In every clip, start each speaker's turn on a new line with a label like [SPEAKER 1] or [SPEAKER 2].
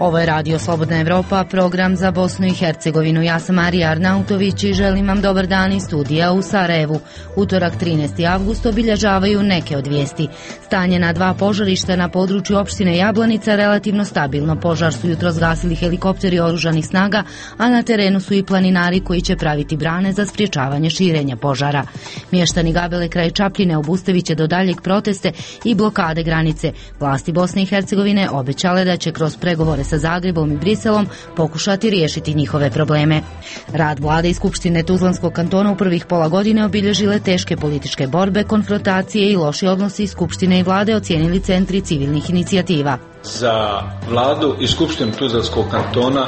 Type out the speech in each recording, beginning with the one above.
[SPEAKER 1] Ovo je Radio Slobodna Evropa, program za Bosnu i Hercegovinu. Ja sam Marija Arnautović i želim vam dobar dan iz studija u Sarajevu. Utorak 13. avgust obilježavaju neke od vijesti. Stanje na 2 požarišta na području opštine Jablanica relativno stabilno. Požar su jutros zgasili helikopteri oružanih snaga, a na terenu su i planinari koji će praviti brane za sprječavanje širenja požara. Mještani Gabele kraj Čapljine obustavit će do daljeg proteste i blokade granice. Vlasti Bosne i Hercegovine obećale da će kroz pregovore sa Zagrebom i Briselom pokušati riješiti njihove probleme. Rad vlade i Skupštine Tuzlanskog kantona u prvih pola godine obilježile teške političke borbe, konfrontacije i loši odnosi Skupštine i vlade ocijenili centri civilnih inicijativa.
[SPEAKER 2] Za vladu i Skupštinu Tuzlanskog kantona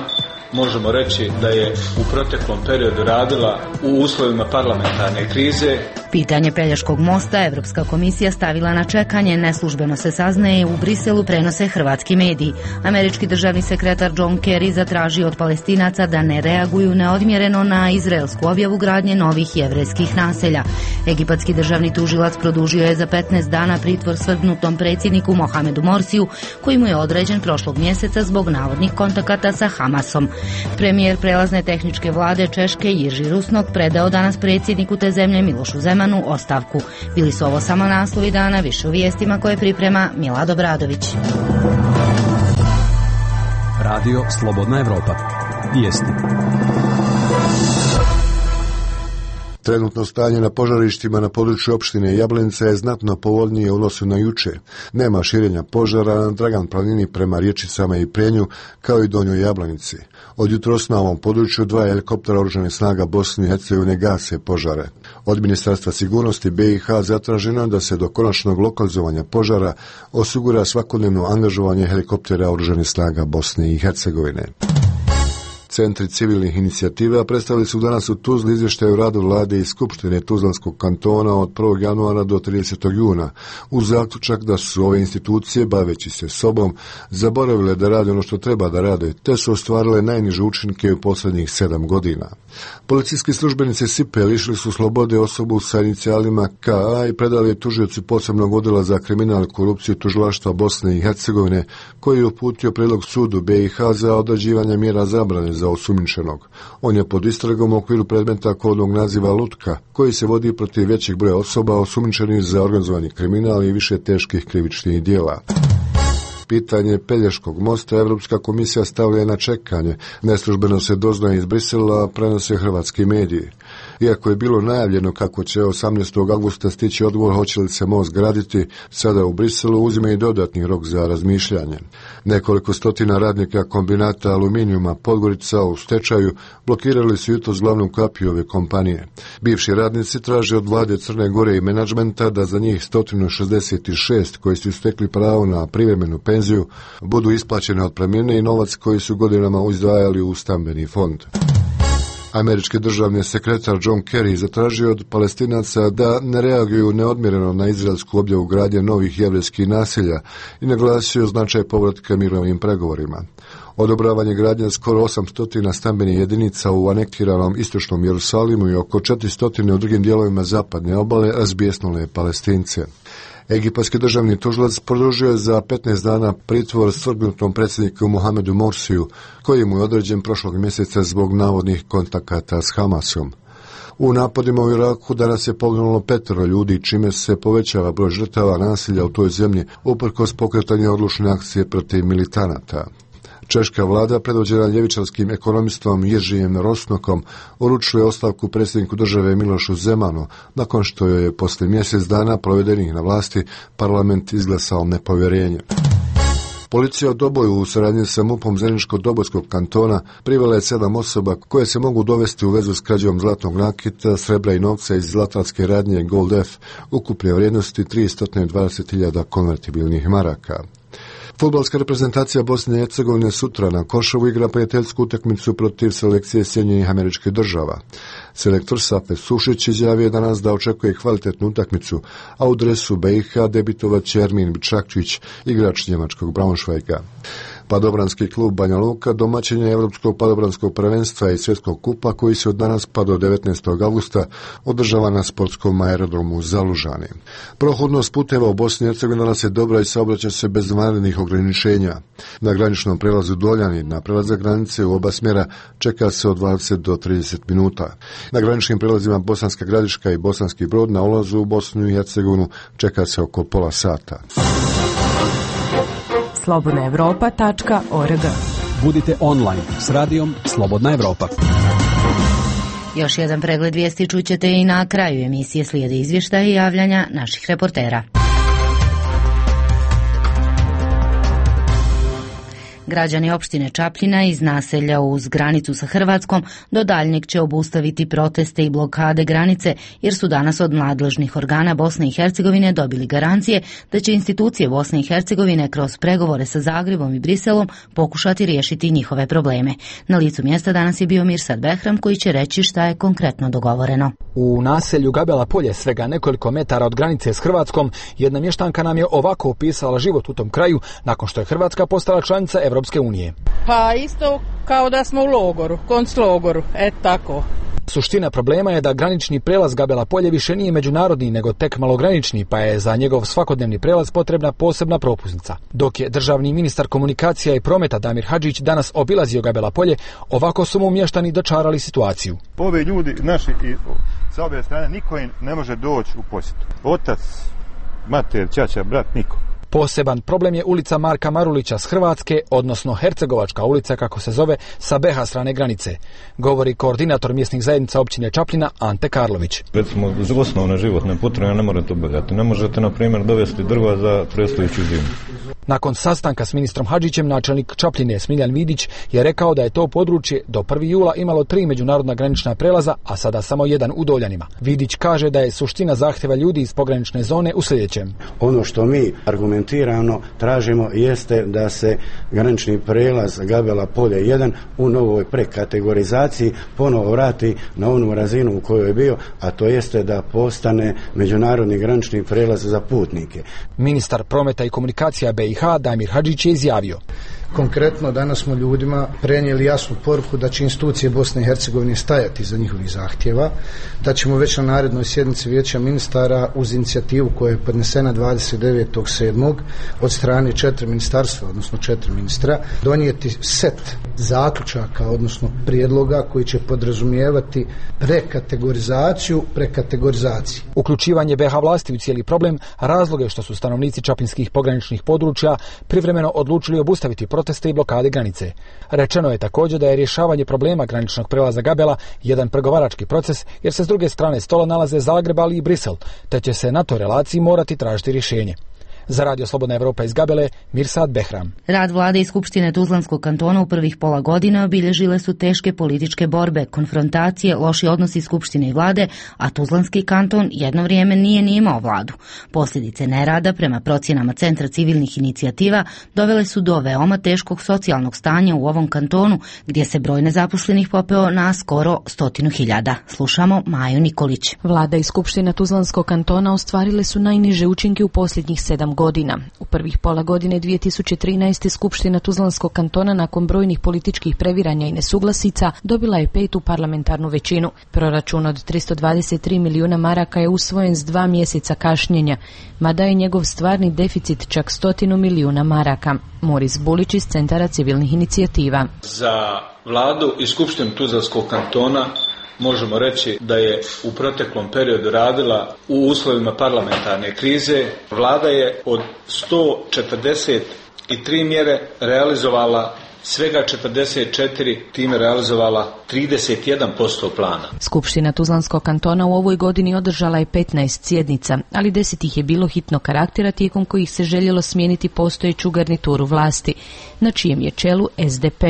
[SPEAKER 2] možemo reći da je u proteklom periodu radila u uslovima parlamentarne krize.
[SPEAKER 1] Pitanje Pelješkog mosta Evropska komisija stavila na čekanje, neslužbeno se saznaje, u Briselu prenose hrvatski mediji. Američki državni sekretar John Kerry zatražio od Palestinaca da ne reaguju neodmjereno na izraelsku objavu gradnje novih jevrejskih naselja. Egipatski državni tužilac produžio je za 15 dana pritvor svrgnutom predsjedniku Mohamedu Morsiju, koji mu je određen prošlog mjeseca zbog navodnih kontakata sa Hamasom. Premijer prelazne tehničke vlade Češke Jiří Rusnok predao danas predsjedniku te zemlje Milošu Zemanu ostavku. Bili su ovo samo naslovi dana, više u vijestima koje priprema Milad Obradović.
[SPEAKER 3] Radio Slobodna Evropa. Vijesti.
[SPEAKER 4] Trenutno stanje na požarištima na području opštine Jablanica je znatno povoljnije u odnosu na juče. Nema širenja požara na Dragan planini prema Rječicama i Prenju, kao i Donjoj Jablanici. Od jutros na ovom području 2 helikoptera oružanih snaga Bosne i Hercegovine gase požare. Od Ministarstva sigurnosti BiH zatraženo da se do konačnog lokalizovanja požara osigura svakodnevno angažovanje helikoptera oružanih snaga Bosne i Hercegovine. Centri civilnih inicijativa predstavili su danas u Tuzli izvještaj o radu vlade i Skupštine Tuzlanskog kantona od 1. januara do 30. juna, uz zaključak da su ove institucije, baveći se sobom, zaboravile da rade ono što treba da rade, te su ostvarile najniže učinke u posljednjih 7 godina. Policijski službenici SIPE lišili su slobode osobu sa inicijalima KA i predali je tužiocu posebnog odjela za kriminal i korupciju Tužilaštva Bosne i Hercegovine, koji je uputio prijedlog sudu BiH za određivanje mjera zabrane za osumnjičenog. On je pod istragom u okviru predmeta kodnog naziva Lutka, koji se vodi protiv većeg broja osoba osumnjičenih za organizovani kriminal i više teških krivičnih djela. Pitanje Pelješkog mosta Evropska komisija stavlja na čekanje. Neslužbeno se doznaje iz Brisela, prenose hrvatski mediji. Iako je bilo najavljeno kako će 18. avgusta stići odgovor hoće li se most graditi, sada u Briselu uzima i dodatni rok za razmišljanje. Nekoliko stotina radnika kombinata aluminijuma Podgorica u stečaju blokirali su jutros glavnu kapiju ove kompanije. Bivši radnici traže od vlade Crne Gore i menadžmenta da za njih 166 koji su stekli pravo na privremenu penziju budu isplaćene otpremnine i novac koji su godinama izdvajali u stambeni fond. Američki državni sekretar John Kerry zatražio od Palestinaca da ne reaguju neodmjereno na izraelsku objavu gradnje novih jevrejskih naselja i naglasio značaj povratka mirovnim pregovorima. Odobravanje gradnje skoro 800 stambenih jedinica u anektiranom istočnom Jerusalimu i oko 400 u drugim dijelovima zapadne obale razbijesnule Palestince. Egipatski državni tužilac produžio je za 15 dana pritvor svrgnutom predsjedniku Mohamedu Morsiju, koji mu je određen prošlog mjeseca zbog navodnih kontakata s Hamasom. U napadima u Iraku danas je poginulo 5 ljudi, čime se povećava broj žrtava nasilja u toj zemlji, uprkos pokretanja odlučne akcije protiv militanata. Češka vlada, predvođena ljevičarskim ekonomistom Jiržijem Rusnokom, uručuje ostavku predsjedniku države Milošu Zemanu, nakon što je poslije mjesec dana provedenih na vlasti parlament izglasao nepovjerenje. Policija u Doboju u suradnji sa MUP-om Zeničko-Dobojskog kantona privela je 7 osoba koje se mogu dovesti u vezu s krađom zlatnog nakita, srebra i novca iz zlatarske radnje Gold F, ukupne vrijednosti 320.000 konvertibilnih maraka. Fudbalska reprezentacija Bosne i Hercegovine sutra na Košovu igra prijateljsku utakmicu protiv selekcije Sjedinjenih Američkih Država. Selektor Safet Sušić izjavio danas da očekuje kvalitetnu utakmicu, a u dresu BiH debitovat će Ermin Bičakčić, igrač njemačkog Braunschweiga. Padobranski klub Banja Luka domaćin je Evropskog padobranskog prvenstva i svjetskog kupa koji se od danas pa do 19. avgusta održava na sportskom aerodromu Zalužani. Prohodnost puteva u Bosni i Hercegovini danas je dobra i saobraća se bez vanrednih ograničenja. Na graničnom prelazu Doljani na prelazak granice u oba smjera čeka se od 20 do 30 minuta. Na graničnim prelazima Bosanska Gradiška i Bosanski Brod na ulazu u Bosnu i Hercegovinu čeka se oko pola sata.
[SPEAKER 5] slobodnaevropa.org.
[SPEAKER 3] Budite online s radijom Slobodna Evropa.
[SPEAKER 1] Još jedan pregled vijesti čućete i na kraju emisije, slijede izvještaje i javljanja naših reportera. Građani opštine Čapljina iz naselja uz granicu sa Hrvatskom do daljnjeg će obustaviti proteste i blokade granice, jer su danas od nadležnih organa Bosne i Hercegovine dobili garancije da će institucije Bosne i Hercegovine kroz pregovore sa Zagrebom i Briselom pokušati riješiti njihove probleme. Na licu mjesta danas je bio Mirsad Behram koji će reći šta je konkretno dogovoreno.
[SPEAKER 6] U naselju Gabela Polje, svega nekoliko metara od granice s Hrvatskom, jedna mještanka nam je ovako opisala život u tom kraju nakon što je Hrvatska postala članica Evropske unije.
[SPEAKER 7] Pa isto kao da smo u logoru, konclogoru, tako.
[SPEAKER 6] Suština problema je da granični prelaz Gabela Polje više nije međunarodni nego tek malogranični, pa je za njegov svakodnevni prelaz potrebna posebna propusnica. Dok je državni ministar komunikacija i prometa Damir Hadžić danas obilazio Gabela Polje, ovako su mu mještani dočarali situaciju.
[SPEAKER 8] Ovi ljudi naši i sa obje strane niko im ne može doći u posjetu. Otac, mater, ćaća, brat, niko.
[SPEAKER 6] Poseban problem je ulica Marka Marulića s Hrvatske, odnosno Hercegovačka ulica kako se zove, sa BiH strane granice, govori koordinator mjesnih zajednica općine Čapljina Ante Karlović.
[SPEAKER 9] Recimo, osnovne životne potrebe ne morate obavljati. Ne možete, na primjer, dovesti drva za predstojeću zimu.
[SPEAKER 6] Nakon sastanka s ministrom Hadžićem, načelnik Čapljine Smiljan Vidić je rekao da je to područje do 1. jula imalo 3 međunarodna granična prelaza, a sada samo jedan u Doljanima. Vidić kaže da je suština zahtjeva ljudi iz pogranične zone u sljedećem.
[SPEAKER 10] Ono što mi argumentirano tražimo jeste da se granični prelaz Gabela Polje 1 u novoj prekategorizaciji ponovo vrati na onu razinu u kojoj je bio, a to jeste da postane međunarodni granični prelaz za putnike.
[SPEAKER 6] Ministar prometa i komunikacija BiH Damir Hadžić je izjavio:
[SPEAKER 11] Konkretno, danas smo ljudima prenijeli jasnu poruku da će institucije Bosne i Hercegovine stajati iza njihovih zahtjeva, da ćemo već na narednoj sjednici Vijeća ministara uz inicijativu koja je podnesena 29.7. od strane 4 ministarstva, odnosno 4 ministra, donijeti set zaključaka, odnosno prijedloga koji će podrazumijevati prekategorizaciju.
[SPEAKER 6] Uključivanje BiH vlasti u cijeli problem razlog je što su stanovnici čapljinskih pograničnih područja privremeno odlučili obustaviti proteste i blokade granice. Rečeno je također da je rješavanje problema graničnog prelaza Gabela jedan pregovarački proces, jer se s druge strane stola nalaze Zagreb, ali i Brisel, te će se na toj relaciji morati tražiti rješenje. Za Radio Slobodna Evropa iz Gabele, Mirsad Behram.
[SPEAKER 1] Rad vlade i Skupštine Tuzlanskog kantona u prvih pola godine obilježile su teške političke borbe, konfrontacije, loši odnosi Skupštine i vlade, a Tuzlanski kanton jedno vrijeme nije imao vladu. Posljedice nerada, prema procjenama Centra civilnih inicijativa, dovele su do veoma teškog socijalnog stanja u ovom kantonu, gdje se broj nezaposlenih popeo na skoro 100.000. Slušamo Maju Nikolić.
[SPEAKER 5] Vlada i Skupština Tuzlanskog kantona ostvarile su najniže učinke u posljednjih 7 godina. U prvih pola godine 2013. Skupština Tuzlanskog kantona nakon brojnih političkih previranja i nesuglasica dobila je 5. parlamentarnu većinu. Proračun od 323 milijuna maraka je usvojen s 2 mjeseca kašnjenja, mada je njegov stvarni deficit čak 100 milijuna maraka. Moris Bulić iz Centara civilnih inicijativa.
[SPEAKER 2] Za vladu i Skupštinu Tuzlanskog kantona možemo reći da je u proteklom periodu radila u uslovima parlamentarne krize. Vlada je od 143 mjere realizovala svega 44, time realizovala 31% plana.
[SPEAKER 5] Skupština Tuzlanskog kantona u ovoj godini održala je 15 sjednica, ali 10 ih je bilo hitnog karaktera tijekom kojih se željelo smijeniti postojeću garnituru vlasti, na čijem je čelu SDP.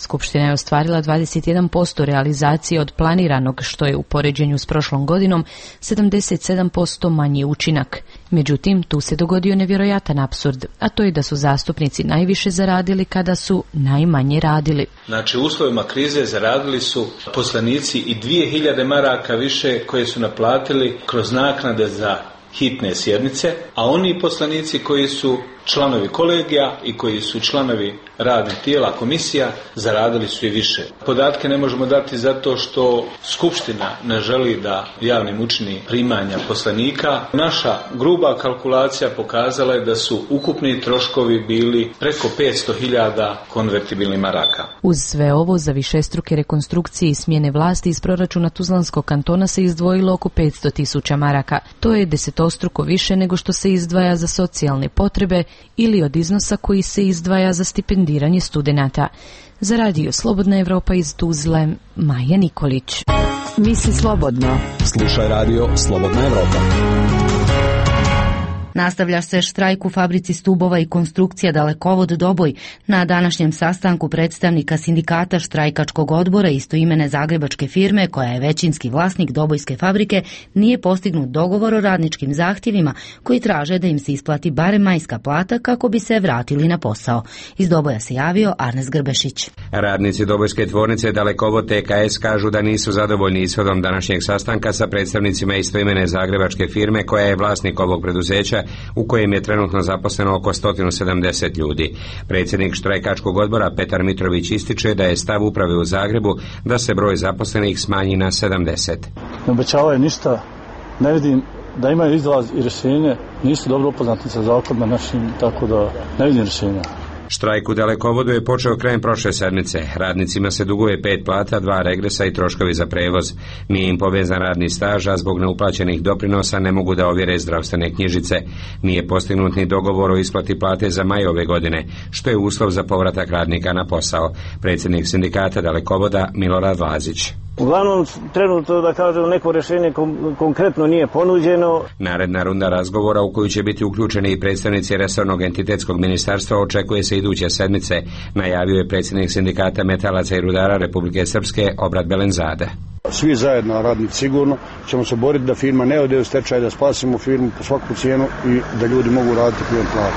[SPEAKER 5] Skupština je ostvarila 21% realizacije od planiranog, što je u poređenju s prošlom godinom 77% manji učinak. Međutim, tu se dogodio nevjerojatan apsurd, a to je da su zastupnici najviše zaradili kada su najmanje radili.
[SPEAKER 2] Znači, u uslovima krize zaradili su poslanici i 2000 maraka više koje su naplatili kroz naknade za hitne sjednice, a oni poslanici koji su članovi kolegija i koji su članovi radnih tijela, komisija, zaradili su i više. Podatke ne možemo dati zato što Skupština ne želi da javnim učini primanja poslanika. Naša gruba kalkulacija pokazala je da su ukupni troškovi bili preko 500.000 konvertibilnih maraka.
[SPEAKER 5] Uz sve ovo, za višestruke rekonstrukcije i smjene vlasti iz proračuna Tuzlanskog kantona se izdvojilo oko 500.000 maraka. To je desetostruko više nego što se izdvaja za socijalne potrebe ili od iznosa koji se izdvaja za stipendiranje studenata. Za radio Slobodna Evropa iz Tuzle, Maja Nikolić.
[SPEAKER 3] Misli slobodno. Slušaj radio Slobodna Evropa.
[SPEAKER 1] Nastavlja se štrajk u fabrici stubova i konstrukcija Dalekovod Doboj. Na današnjem sastanku predstavnika sindikata štrajkačkog odbora istoimene zagrebačke firme, koja je većinski vlasnik Dobojske fabrike, nije postignut dogovor o radničkim zahtjevima koji traže da im se isplati barem majska plata kako bi se vratili na posao. Iz Doboja se javio Arnes Grbešić.
[SPEAKER 12] Radnici Dobojske tvornice Dalekovod TKS kažu da nisu zadovoljni ishodom današnjeg sastanka sa predstavnicima istoimene zagrebačke firme koja je vlasnik ovog preduzeća, u kojem je trenutno zaposleno oko 170 ljudi. Predsjednik štrajkačkog odbora Petar Mitrović ističe da je stav uprave u Zagrebu da se broj zaposlenih smanji na 70.
[SPEAKER 13] Ne obećavaju ništa, ne vidim da imaju izlaz i rješenje, nisu dobro upoznati sa zakonima našim, tako da ne vidim rješenja.
[SPEAKER 12] Štrajk u Dalekovodu je počeo krajem prošle sedmice. Radnicima se duguje 5 plata, 2 regresa i troškovi za prevoz. Nije im povezan radni staž, a zbog neuplaćenih doprinosa ne mogu da ovjere zdravstvene knjižice. Nije postignut ni dogovor o isplati plate za maj ove godine, što je uslov za povratak radnika na posao. Predsjednik sindikata Dalekovoda Milorad Lazić.
[SPEAKER 14] Uglavnom, trenutno, da kažem, neko rješenje konkretno nije ponuđeno.
[SPEAKER 12] Naredna runda razgovora, u koju će biti uključeni i predstavnici resornog entitetskog ministarstva, očekuje se iduće sedmice, najavio je predsjednik sindikata metalaca i rudara Republike Srpske Obrat Belenzade.
[SPEAKER 15] Svi zajedno, radnici sigurno, ćemo se boriti da firma ne ode u stečaj, da spasimo firmu po svaku cijenu i da ljudi mogu raditi punom platu.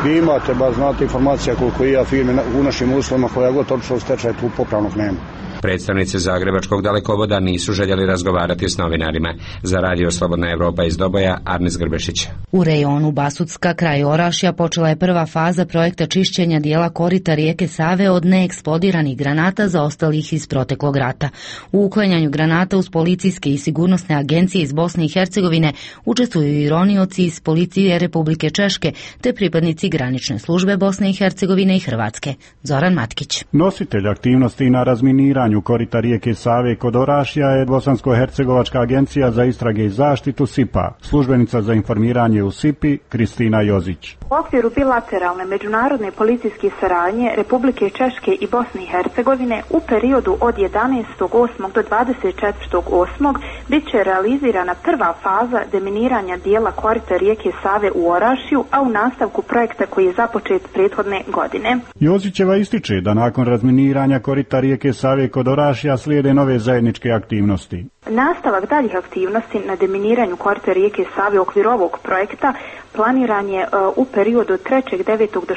[SPEAKER 15] Vi imate, ba znate, informacija koliko i ja firme u našim uslovima, koja god otišla u stečaj, tu popravnog nema.
[SPEAKER 12] Predstavnici Zagrebačkog Dalekovoda nisu željeli razgovarati s novinarima. Za radio Slobodna Evropa iz Doboja, Arnes Grbešić.
[SPEAKER 1] U rejonu Basutska kraj Orašja počela je prva faza projekta čišćenja dijela korita rijeke Save od neeksplodiranih granata zaostalih iz proteklog rata. U uklanjanju granata uz policijske i sigurnosne agencije iz Bosne i Hercegovine učestvuju i ronioci iz policije Republike Češke te pripadnici granične službe Bosne i Hercegovine i Hrvatske. Zoran Matkić.
[SPEAKER 16] Nositelj aktivnosti na razminiranju korita rijeke Save kod Orašja je Bosansko-hercegovačka agencija za istrage i zaštitu SIPA. Službenica za informiranje u SIPI Kristina Jozić.
[SPEAKER 17] U okviru bilateralne međunarodne policijske saradnje Republike Češke i Bosne i Hercegovine u periodu od 11.8. do 24.8. bit će realizirana prva faza deminiranja dijela korita rijeke Save u Orašju, a u nastavku projekta koji je započet prethodne godine.
[SPEAKER 16] Jozićeva ističe da nakon razminiranja korita rijeke Save kod Orašja slijede nove zajedničke aktivnosti.
[SPEAKER 17] Nastavak daljih aktivnosti na deminiranju korita rijeke Save u okviru ovog projekta planiran je u periodu 3.9. do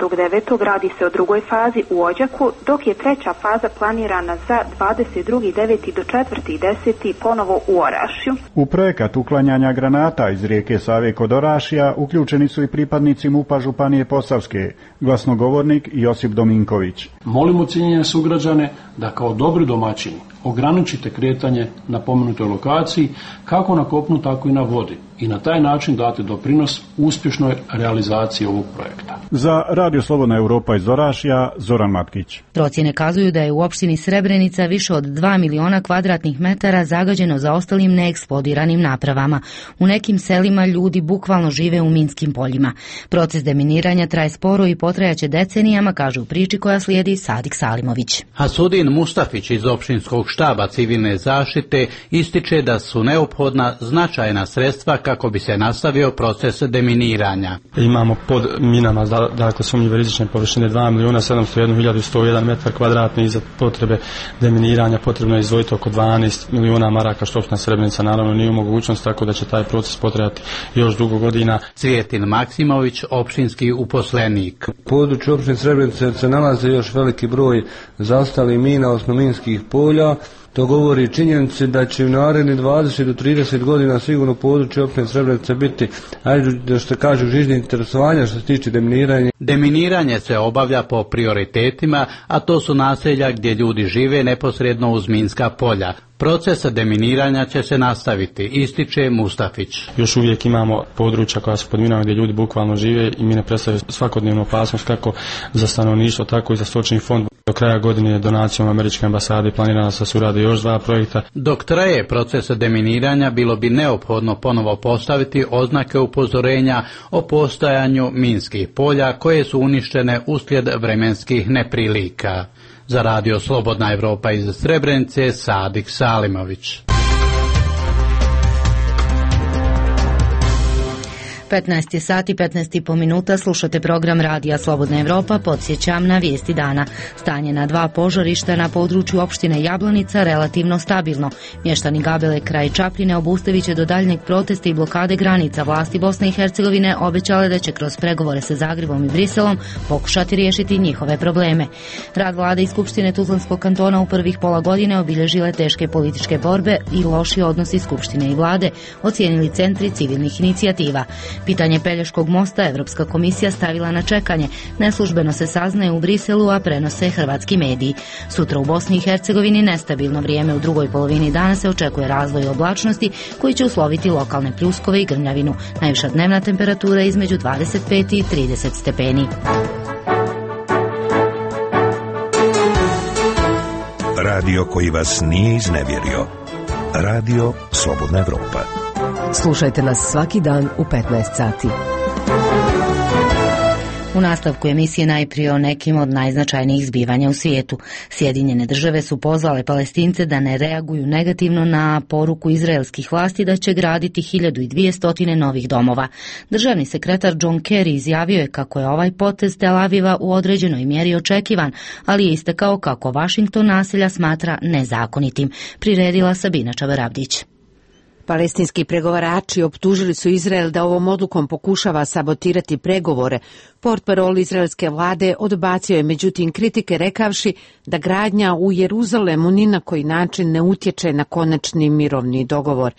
[SPEAKER 17] 16.9. radi se o drugoj fazi u Odžaku, dok je treća faza planirana za 22.9. do 4.10. ponovo u Orašju.
[SPEAKER 16] U projekat uklanjanja granata iz rijeke Save kod Orašja uključeni su i pripadnici MUP-a Županije Posavske, glasnogovornik Josip Dominković.
[SPEAKER 18] Molimo cijenjene sugrađane da kao dobri domaćini ograničite kretanje na pomenutoj lokaciji kako na kopnu tako i na vodi i na taj način date doprinos uspješnoj realizaciji ovog projekta.
[SPEAKER 16] Za Radio Slobodna Evropa iz Orašja, Zoran Matkić.
[SPEAKER 1] Procjene kazuju da je u opštini Srebrenica više od 2 miliona kvadratnih metara zagađeno zaostalim neeksplodiranim napravama. U nekim selima ljudi bukvalno žive u minskim poljima. Proces deminiranja traje sporo i potrajaće decenijama, kaže u priči koja slijedi Sadik Salimović.
[SPEAKER 19] Hasudin Mustafić iz opštinskog štaba civilne zaštite ističe da su neophodna značajna sredstva kako bi se nastavio proces deminiranja.
[SPEAKER 20] Imamo pod minama, dakle sumnjive rizične površine 2.701.101 metar kvadratni i za potrebe deminiranja potrebno je izdvojiti oko 12 milijuna maraka, što opština Srebrenica naravno nije u mogućnost, tako da će taj proces potrajati još dugo godina.
[SPEAKER 19] Cvijetin Maksimović, opštinski uposlenik.
[SPEAKER 21] U području opštine Srebrenice se nalaze još veliki broj zaostalih mina, odnosno minskih polja. To govori činjenici da će u naredni 20 do 30 godina sigurno područje opštine Srebrenice biti, da što kažu, žižnih interesovanja što se tiče deminiranja.
[SPEAKER 19] Deminiranje se obavlja po prioritetima, a to su naselja gdje ljudi žive neposredno uz minska polja. Proces deminiranja će se nastaviti, ističe Mustafić.
[SPEAKER 20] Još uvijek imamo područja koja su pod minama gdje ljudi bukvalno žive i mine predstavljaju svakodnevnu opasnost kako za stanovništvo, tako i za stočni fond. Do kraja godine donacijom Američke ambasade planirano se surade još 2 projekta.
[SPEAKER 19] Dok traje proces deminiranja, bilo bi neophodno ponovo postaviti oznake upozorenja o postojanju minskih polja koje su uništene uslijed vremenskih neprilika. Za radio Slobodna Evropa iz Srebrenice, Sadik Salimović.
[SPEAKER 1] 15 sati, 15,5 minuta, slušate program Radija Slobodna Evropa, podsjećam na vijesti dana. Stanje na 2 požarišta na području opštine Jablanica relativno stabilno. Mještani Gabele kraj Čapljine obustavit će do daljnjeg protesta i blokade granica. Vlasti Bosne i Hercegovine obećale da će kroz pregovore sa Zagrebom i Briselom pokušati riješiti njihove probleme. Rad vlade i Skupštine Tuzlanskog kantona u prvih pola godine obilježile teške političke borbe i loši odnosi Skupštine i vlade, ocijenili centri civilnih inicijativa. Pitanje Pelješkog mosta Evropska komisija stavila na čekanje. Neslužbeno se saznaje u Briselu, a prenose hrvatski mediji. Sutra u Bosni i Hercegovini nestabilno vrijeme. U drugoj polovini dana se očekuje razvoj oblačnosti koji će usloviti lokalne pljuskove i grmljavinu. Najviša dnevna temperatura između 25 i 30 stepeni.
[SPEAKER 22] Radio koji vas nije iznevjerio. Radio Slobodna Evropa.
[SPEAKER 23] Slušajte nas svaki dan u 15 sati.
[SPEAKER 1] U nastavku emisije najprije o nekim od najznačajnijih zbivanja u svijetu. Sjedinjene države su pozvale Palestince da ne reaguju negativno na poruku izraelskih vlasti da će graditi 1200 novih domova. Državni sekretar John Kerry izjavio je kako je ovaj potez Tel Aviva u određenoj mjeri očekivan, ali je istakao kako Washington naselja smatra nezakonitim. Priredila Sabina Čavarabdić.
[SPEAKER 24] Palestinski pregovarači optužili su Izrael da ovom odlukom pokušava sabotirati pregovore. Portparol izraelske vlade odbacio je međutim kritike rekavši da gradnja u Jeruzalemu ni na koji način ne utječe na konačni mirovni dogovor.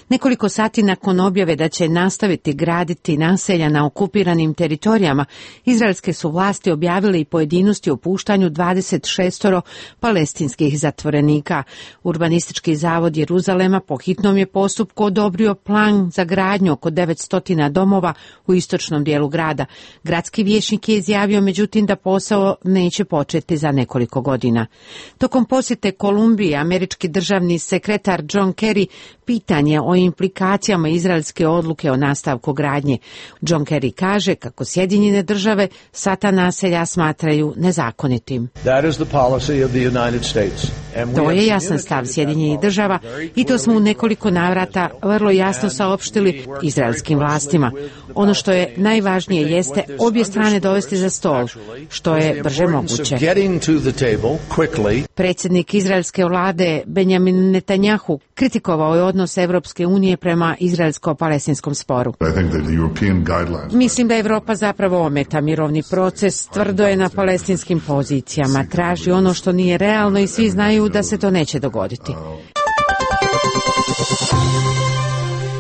[SPEAKER 24] Nekoliko sati nakon objave da će nastaviti graditi naselja na okupiranim teritorijama, izraelske su vlasti objavile i pojedinosti o puštanju 26 palestinskih zatvorenika. Urbanistički zavod Jeruzalema po hitnom je postupku odobrio plan za gradnju oko 900 domova u istočnom dijelu grada. Gradski vijećnik je izjavio međutim da posao neće početi za nekoliko godina. Tokom posjete Kolumbiji, američki državni sekretar John Kerry pitanje o implikacijama izraelske odluke o nastavku gradnje. John Kerry kaže kako Sjedinjene države sva ta naselja smatraju nezakonitim. To je jasan stav Sjedinjenih država i to smo u nekoliko navrata vrlo jasno saopštili izraelskim vlastima. Ono što je najvažnije jeste obje strane dovesti za stol, što je brže moguće. Predsjednik izraelske vlade Benjamin Netanjahu kritikovao je odnos Evropske unije prema izraelsko-palestinskom sporu. Mislim da Evropa zapravo ometa mirovni proces, tvrdo je na palestinskim pozicijama, traži ono što nije realno i svi znaju da se to neće dogoditi.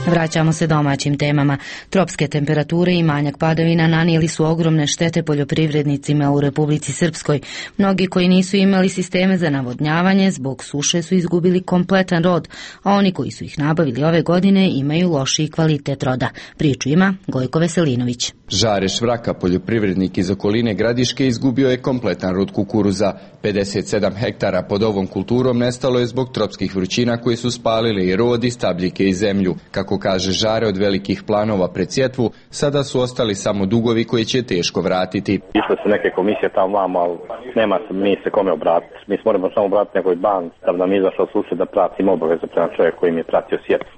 [SPEAKER 1] Vraćamo se domaćim temama. Tropske temperature i manjak padavina nanijeli su ogromne štete poljoprivrednicima u Republici Srpskoj. Mnogi koji nisu imali sisteme za navodnjavanje zbog suše su izgubili kompletan rod, a oni koji su ih nabavili ove godine imaju lošiji kvalitet roda. Priču ima Gojko Veselinović.
[SPEAKER 25] Žare Švraka, poljoprivrednik iz okoline Gradiške, izgubio je kompletan rod kukuruza. 57 hektara pod ovom kulturom nestalo je zbog tropskih vrućina koje su spalile i rod i stabljike i zemlju. Kako kaže Žare, od velikih planova pred sjetvu, sada su ostali samo dugovi koji će teško vratiti.
[SPEAKER 4] Išle su neke komisije tamo vamo, ali nema se kome obratiti. Mi se moramo samo obratiti nekoj banci da nam izašao susjed da pratimo obaveze prema čovjeku koji mi je pratio sjetvu.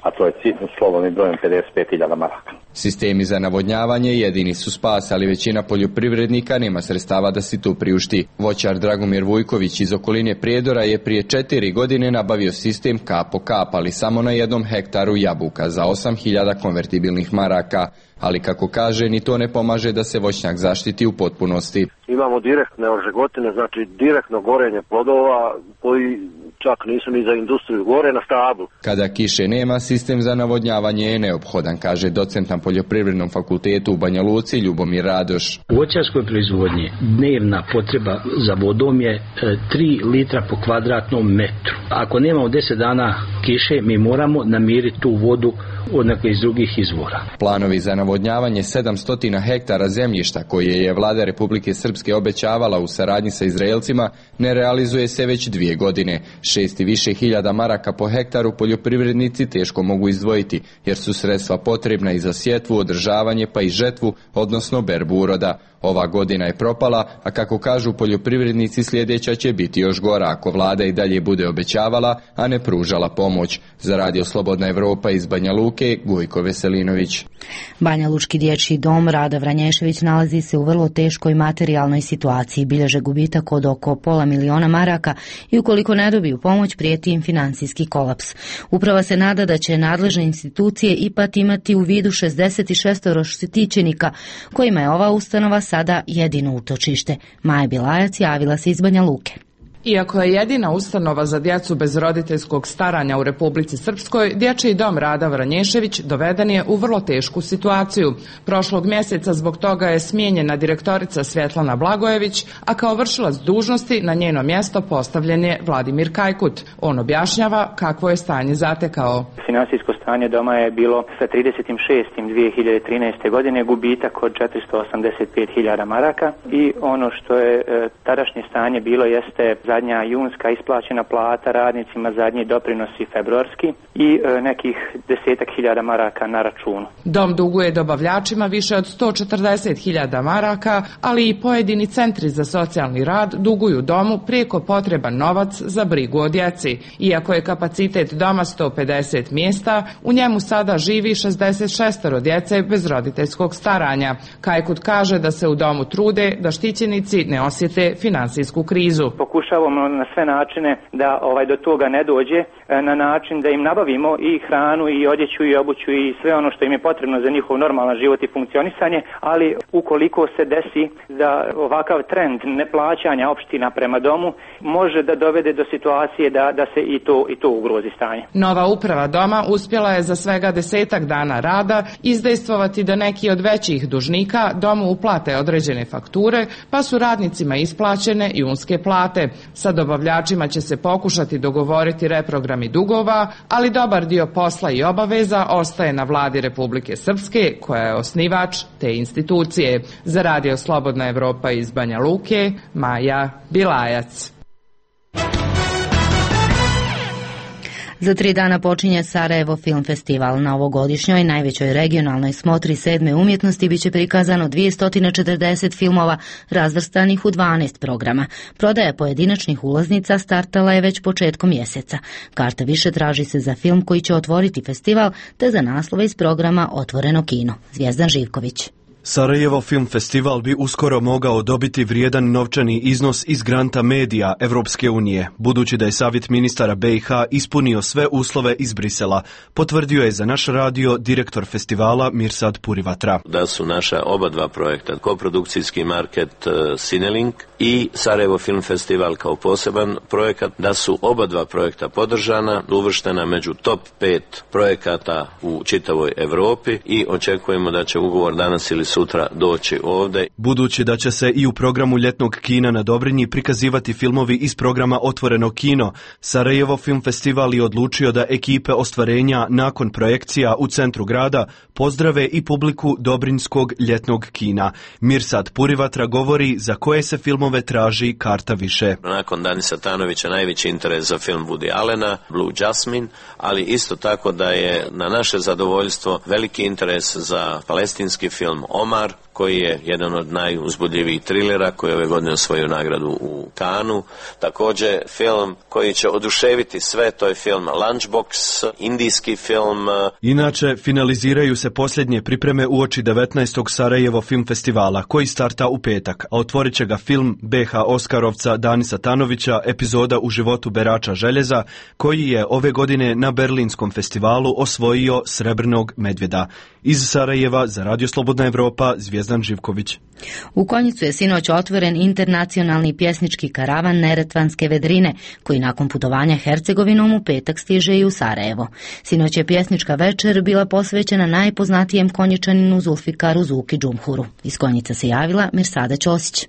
[SPEAKER 4] A to je slobodnim brojem 55.000 maraka.
[SPEAKER 25] Sistemi za navodnjavanje jedini su spas, ali većina poljoprivrednika nema sredstava da si to priušti. Voćar Dragomir Vujković iz okoline Prijedora je prije 4 godine nabavio sistem kap po kap, ali samo na 1 hektaru jabuka za 8.000 konvertibilnih maraka. Ali kako kaže, ni to ne pomaže da se voćnjak zaštiti u potpunosti.
[SPEAKER 7] Imamo direktne ožegotine, znači direktno gorenje plodova koji čak nisu ni za industriju, gore na stablu.
[SPEAKER 25] Kada kiše nema, sistem za navodnjavanje je neophodan, kaže docent na Poljoprivrednom fakultetu u Banja Luci Ljubomir Radoš.
[SPEAKER 8] U voćarskoj proizvodnji dnevna potreba za vodom je 3 litra po kvadratnom metru. Ako nemamo 10 dana kiše, mi moramo namiriti tu vodu od nekih iz drugih izvora.
[SPEAKER 25] Planovi za navodnjavanje 700 hektara zemljišta koje je vlada Republike Srpske obećavala u saradnji sa Izraelcima ne realizuje se već 2 godine. 6 i više hiljada maraka po hektaru poljoprivrednici teško mogu izdvojiti, jer su sredstva potrebna i za sjetvu, održavanje pa i žetvu, odnosno berbu uroda. Ova godina je propala, a kako kažu poljoprivrednici, sljedeća će biti još gora ako vlada i dalje bude obećavala, a ne pružala pomoć. Za Radio Slobodna Evropa iz Banja Luke, Gojko Veselinović.
[SPEAKER 1] Banja Lučki dječji dom Rada Vranješević nalazi se u vrlo teškoj materijalnoj situaciji, bilježe gubitak od oko 500.000 maraka i ukoliko ne dobiju pomoć prijeti im financijski kolaps. Uprava se nada da će nadležne institucije ipak imati u vidu 66 štićenika kojima je ova ustanova sada jedino utočište. Maja Bilajac javila se iz Banja Luke.
[SPEAKER 9] Iako je jedina ustanova za djecu bez roditeljskog staranja u Republici Srpskoj, dječji dom Rada Vranješević doveden je u vrlo tešku situaciju. Prošlog mjeseca zbog toga je smijenjena direktorica Svjetlana Blagojević, a kao vršilac dužnosti na njeno mjesto postavljen je Vladimir Kajkut. On objašnjava kakvo je stanje zatekao.
[SPEAKER 10] Finansijsko stanje doma je bilo sa 30.6.2013. godine gubitak od 485.000 maraka i ono što je tadašnje stanje bilo jeste zadnja junska isplaćena plata radnicima, zadnji doprinosi februarski i nekih 10.000 maraka na računu.
[SPEAKER 9] Dom duguje dobavljačima više od 140.000 maraka, ali i pojedini centri za socijalni rad duguju domu prijeko potreban novac za brigu o djeci. Iako je kapacitet doma 150 mjesta, u njemu sada živi 66 djece bez roditeljskog staranja. Kajkut kaže da se u domu trude da štićenici ne osjete finansijsku krizu.
[SPEAKER 10] Pokušavamo na sve načine da do toga ne dođe, na način da im nabavimo i hranu i odjeću i obuću i sve ono što im je potrebno za njihov normalan život i funkcionisanje, ali ukoliko se desi da ovakav trend neplaćanja opština prema domu može da dovede do situacije da se i to ugrozi stanje.
[SPEAKER 9] Nova uprava doma uspjela je za svega 10 dana rada izdejstvovati da neki od većih dužnika domu uplate određene fakture, pa su radnicima isplaćene junske plate. Sa dobavljačima će se pokušati dogovoriti reprogrami dugova, ali dobar dio posla i obaveza ostaje na vladi Republike Srpske, koja je osnivač te institucije. Za Radio Slobodna Evropa iz Banja Luke, Maja Bilajac.
[SPEAKER 1] Za 3 dana počinje Sarajevo Film Festival. Na ovogodišnjoj najvećoj regionalnoj smotri 7. umjetnosti biće prikazano 240 filmova razvrstanih u 12 programa. Prodaja pojedinačnih ulaznica startala je već početkom mjeseca. Karta više traži se za film koji će otvoriti festival, te za naslove iz programa Otvoreno kino. Zvijezdan Živković.
[SPEAKER 26] Sarajevo Film Festival bi uskoro mogao dobiti vrijedan novčani iznos iz granta medija Evropske unije, budući da je Savjet ministara BiH ispunio sve uslove iz Brisela, potvrdio je za naš radio direktor festivala Mirsad Purivatra.
[SPEAKER 27] Da su naša oba dva projekta, koprodukcijski market Cinelink i Sarajevo Film Festival kao poseban projekat, da su oba dva projekta podržana, uvrštena među top 5 projekata u čitavoj Evropi i očekujemo da će ugovor danas ili sutra doći ovdje.
[SPEAKER 26] Budući da će se i u programu ljetnog kina na Dobrinji prikazivati filmovi iz programa Otvoreno kino, Sarajevo Film Festival je odlučio da ekipe ostvarenja nakon projekcija u centru grada pozdrave i publiku Dobrinjskog ljetnog kina. Mirsad Purivatra govori za koje se filmove traži karta više.
[SPEAKER 27] Nakon Danisa Tanovića najveći interes za film Woody Allena, Blue Jasmine, ali isto tako da je na naše zadovoljstvo veliki interes za palestinski film Omar, koji je jedan od najuzbudljivijih trilera koji je ove godine osvojio nagradu u Kanu. Također film koji će oduševiti sve, to je film Lunchbox, indijski film.
[SPEAKER 26] Inače, finaliziraju se posljednje pripreme uoči 19. Sarajevo Film Festivala, koji starta u petak, a otvorit će ga film BH Oskarovca Danisa Tanovića, epizoda u životu berača željeza, koji je ove godine na Berlinskom festivalu osvojio Srebrnog medvjeda. Iz Sarajeva za Radio Slobodna Evropa, Zvijezdan Živković.
[SPEAKER 1] U Konjicu je sinoć otvoren internacionalni pjesnički karavan Neretvanske vedrine, koji nakon putovanja Hercegovinom u petak stiže i u Sarajevo. Sinoć je pjesnička večer bila posvećena najpoznatijem Konjičaninu Zulfikaru Zuki Džumhuru. Iz Konjica se javila Mirsada Ćosić.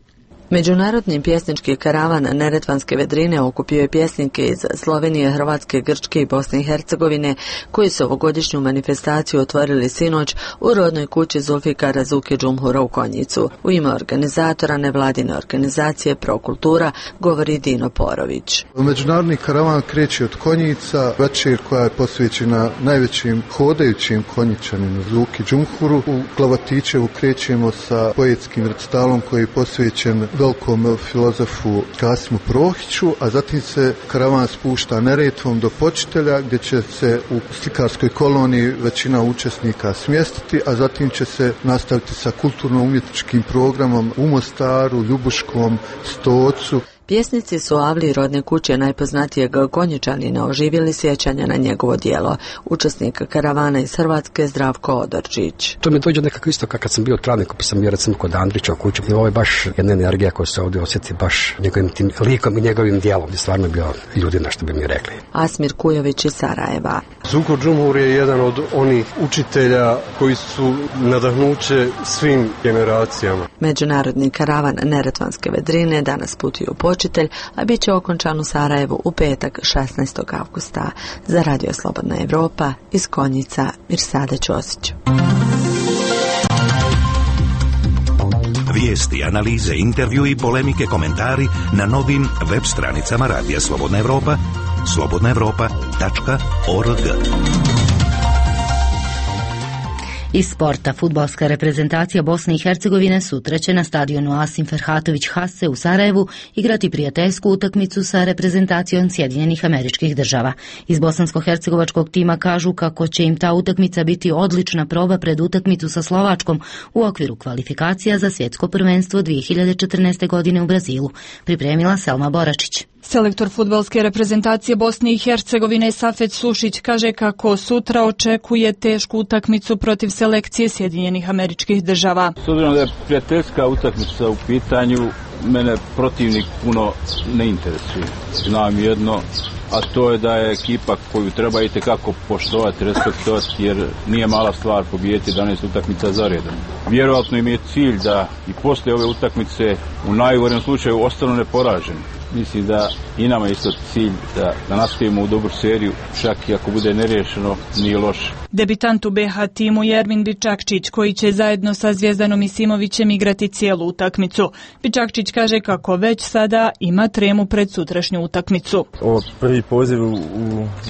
[SPEAKER 2] Međunarodni pjesnički karavan Neretvanske vedrine okupio je pjesnike iz Slovenije, Hrvatske, Grčke i Bosne i Hercegovine, koji su ovogodišnju manifestaciju otvorili sinoć u rodnoj kući Zulfikara Zuki Džumhura u Konjicu. U ime organizatora nevladine organizacije Prokultura govori Dino Porović.
[SPEAKER 3] Međunarodni karavan kreće od Konjica, večer koja je posvećena najvećim hodajućim Konjičaninu Zuki Džumhuru. U Klavatićevu krećemo sa poetskim recitalom koji je posvećen velikom filozofu Kasimu Prohiću, a zatim se karavan spušta Neretvom do Počitelja, gdje će se u slikarskoj koloniji većina učesnika smjestiti, a zatim će se nastaviti sa kulturno-umjetničkim programom u Mostaru, Ljubuškom, Stocu.
[SPEAKER 2] Pjesnici su Avli rodne kuće najpoznatijeg Konjičanina oživjeli sjećanja na njegovo djelo. Učesnik karavana iz Hrvatske Zdravko Odorčić.
[SPEAKER 5] To mi dođe nekako isto kad sam bio u Travniku, pa sam bio recimo kod Andrića u kući. Ovo je baš jedna energija koja se ovdje osjeti baš njegovim tim likom i njegovim djelom. I stvarno bio ljudina, što bi mi rekli.
[SPEAKER 2] Asmir Kujović iz Sarajeva.
[SPEAKER 6] Zuko Džumhur je jedan od onih učitelja koji su nadahnuće svim generacijama.
[SPEAKER 2] Međunarodni karavan Neretvanske vedrine danas putuje u Počitelj, a bit će okončan u Sarajevu u petak 16. avgusta. Za Radio Slobodna Evropa iz Konjica, Mirsada Ćosić.
[SPEAKER 22] Vijesti, analize, intervju i polemike, komentari na novim web stranicama Radija Slobodna Evropa, slobodnaevropa.org.
[SPEAKER 1] Iz sporta, fudbalska reprezentacija Bosne i Hercegovine sutra će na stadionu Asim Ferhatović Hase u Sarajevu igrati prijateljsku utakmicu sa reprezentacijom Sjedinjenih Američkih Država. Iz bosansko-hercegovačkog tima kažu kako će im ta utakmica biti odlična proba pred utakmicu sa Slovačkom u okviru kvalifikacija za svjetsko prvenstvo 2014. godine u Brazilu. Pripremila Selma Boračić.
[SPEAKER 11] Selektor fudbalske reprezentacije Bosne i Hercegovine Safet Sušić kaže kako sutra očekuje tešku utakmicu protiv selekcije Sjedinjenih Američkih Država.
[SPEAKER 13] S obzirom da je prijateljska utakmica u pitanju, mene protivnik puno ne interesuje. Znam jedno, a to je da je ekipa koju treba itekako poštovati, respektovati, jer nije mala stvar pobijediti 11 utakmica za redom. Vjerojatno im je cilj da i poslije ove utakmice u najgorem slučaju ostanu neporaženi. Mislim da i nama je isto cilj da nastavimo u dobru seriju, čak i ako bude neriješeno, nije loše.
[SPEAKER 11] Debitant u BH timu je Ermin Bičakčić, koji će zajedno sa Zvijezdanom Isimovićem igrati cijelu utakmicu. Bičakčić kaže kako već sada ima tremu pred sutrašnju utakmicu.
[SPEAKER 14] Ovo prvi poziv u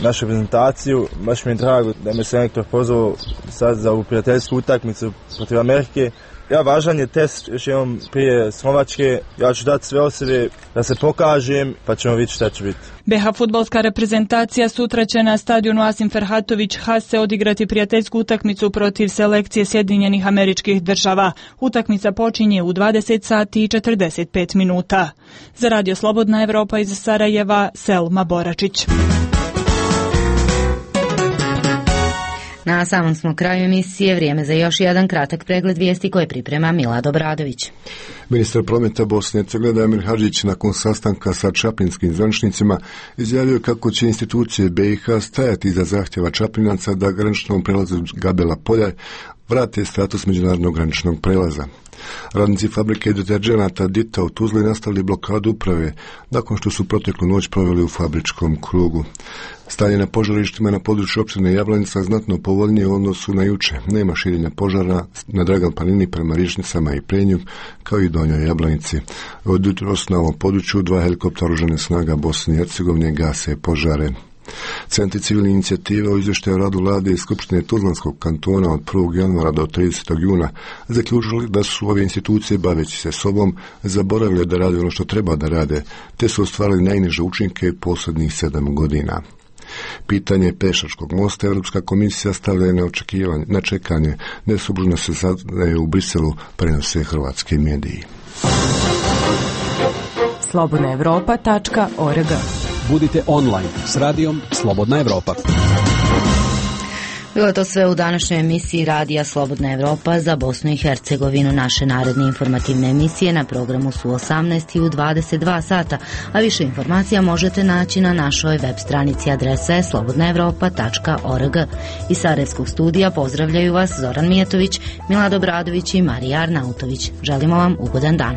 [SPEAKER 14] našu reprezentaciju, baš mi je drago da me selektor pozvao sad za ovu prijateljsku utakmicu protiv Amerike. Ja, važan je test, još jednom prije Slovačke, ja ću dati sve od sebe da se pokažem, pa ćemo vidjeti šta će biti.
[SPEAKER 11] BH fudbalska reprezentacija sutra će na stadionu Asim Ferhatović Hase odigrati prijateljsku utakmicu protiv selekcije Sjedinjenih Američkih Država. Utakmica počinje u 20 sati i 45 minuta. Za Radio Slobodna Evropa iz Sarajeva, Selma Boračić.
[SPEAKER 1] Na samom smo kraju emisije, vrijeme za još jedan kratak pregled vijesti koje priprema Milad Obradović.
[SPEAKER 28] Ministar prometa Bosne i Hercegovine Damir Hadžić nakon sastanka sa čaplinskim zvaničnicima izjavio kako će institucije BiH stajati iza zahtjeva Čaplinaca da graničnom prelazu Gabela polja vrate status međunarodnog graničnog prelaza. Radnici fabrike deterđenata Dita u Tuzli nastavili blokadu uprave nakon što su proteklu noć proveli u fabričkom krugu. Stanje na požarištima na području opštine Jablanica znatno povoljnije u odnosu na juče. Nema širenja požara na Dragan Planini prema Rišnicama i Prenju, kao i Donjoj Jablanici. Od jutros na ovom području 2 helikoptera oružanih snaga Bosne i Hercegovine gase požare. Centri civilne inicijative u izvještaju o radu vlade i Skupštine Tuzlanskog kantona od 1. januara do 30. juna zaključili da su ove institucije, baveći se sobom, zaboravili da rade ono što treba da rade, te su ostvarili najniže učinke posljednjih 7 godina. Pitanje pešačkog mosta Europska komisija stavlja na čekanje, nesubužno se saznaje u Briselu, prenose hrvatski mediji.
[SPEAKER 23] slobodnaevropa.org.
[SPEAKER 12] Budite online s radijom Slobodna Evropa.
[SPEAKER 1] Bilo je to sve u današnjoj emisiji Radija Slobodna Evropa za Bosnu i Hercegovinu. Naše naredne informativne emisije na programu su 18 i u 22 sata, a više informacija možete naći na našoj web stranici adrese slobodnaevropa.org. Iz Sarajevskog studija pozdravljaju vas Zoran Mijetović, Milad Obradović i Marija Arnautović. Želimo vam ugodan dan.